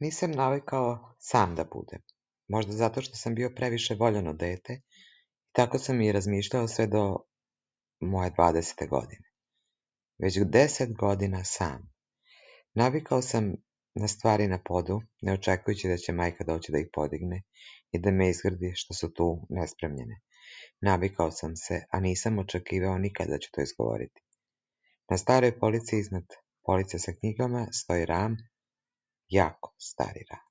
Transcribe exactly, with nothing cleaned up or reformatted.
Nisam navikao sam da budem. Možda zato što sam bio previše voljeno dete, tako sam i razmišljao sve do moje dvadesete godine. Već deset godina sam. Navikao sam na stvari na podu, ne očekujući da će majka doći da ih podigne i da me izgrdi što su tu nespremljene. Navikao sam se, a nisam očekivao nikad da ću to izgovoriti. Na staroj polici iznad police sa knjigama stoji Ram, jako stari Ram.